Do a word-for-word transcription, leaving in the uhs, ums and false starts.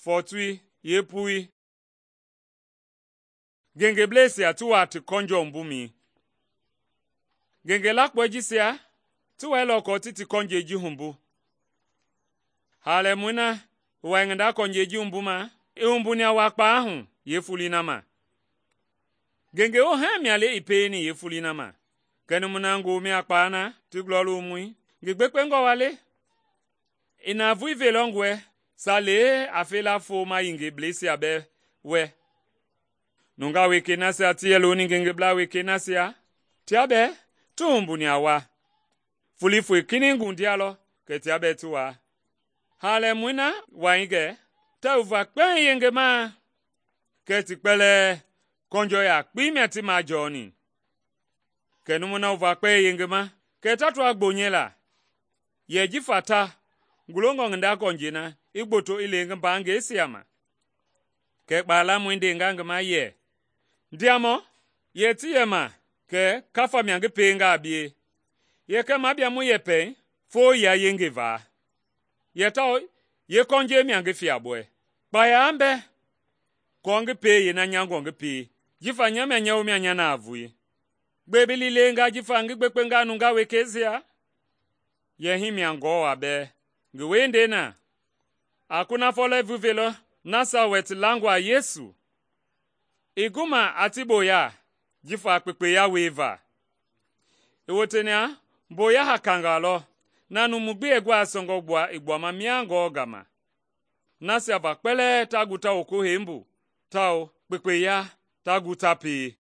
fɔɔtoi yeepui. Ngengebleisia ti wa ti kɔnjɔ wumbumɛi. Ngenge lakpɔi jisia ti wɛilɔ kɔɔ ti ti kɔnjɛi ji wumbu. Haalɛmɔi na i wai ngi nda kɔnjɛi ji wumbuma, i wumbuni a wakpaa hu yeefoloi na ma. Ngenge wohɛɛ mia le i pieni yeefoloi na ma. Kɛ numui na ngomɛi a kpaa na ti gulɔlomɔi, ngi gbekpengɔ wa le? I navoei veilɔ ngi wɛ salee a fela fooma yengebleisia bɛɛ wɛ. Nungaa wekei nasia ti yɛ looni ngengeblaa wekei nasia, tia bɛɛ ti wumbuni a wa. Foloi foi kinɛiŋ gundialɔ kɛ tia bɛɛ ti waa. Haalɛmɔi na wai gɛ ta wuva kpɛiŋ yengemaa, kɛ ti kpɛlɛɛ kɔnjɔ yakpei mia ti majɔɔni. Kɛ numui na wuva kpɛi yengema, kɛ ta toa gbonyɛi la. Yɛ jifa ta gulongɔ ngi nda kɔnjɛi na, i gboto i le ngi mbaangɛisia ma. Kɛ kpaalamɔi ndenga ngi ma yɛ, ndiamɔ, yɛ ti yɛ ma kɛ kafa mia ngi pienga a bie. Yɛ kɛ mabia mu yɛpɛi foo ya yenge va. Yɛ tawao ye kɔnjɛi mia ngi fiabɔɛ. Kpaya mbɛ kɔɔ ngi pie yeena nyangɔ ngi pie, jifa nya mia nya womia nya navoei. Gbe bi liilenga jifa ngi gbekpenga nungaa wekeisia? Yɛ hii mia ngɔɔ a bɛɛ. Ngi wiendei na, a kunafɔ lɛɛvui velɔ nasia wɛ ti langɔ a Yesu. I guma a ti boya jifa kpekpeya wieva. I wotea boya hakangaa lɔ, na numu gbi yɛ gua sɔngɔ gbua i gbuama miangɔ gama. Nasia va kpɛlɛɛ ta gu ta woko hembu, tawao kpekpeya ta gu ta pie.